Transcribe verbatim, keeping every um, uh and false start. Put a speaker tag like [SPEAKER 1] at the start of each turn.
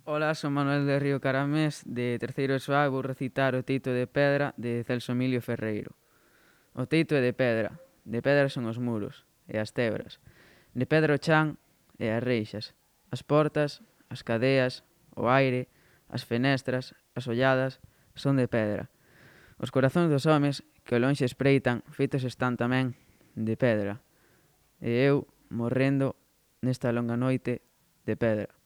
[SPEAKER 1] Ola, son Manuel de Río Caramés, de terceiro E S O A, e vou recitar O teito de pedra de Celso Emilio Ferreiro. O teito é de pedra, de pedra son os muros e as tebras, de pedra o chan e as reixas, as portas, as cadeas, o aire, as fenestras, as olladas, son de pedra. Os corazóns dos homes que ao lonxe espreitan feitos están tamén de pedra. E eu, morrendo nesta longa noite de pedra.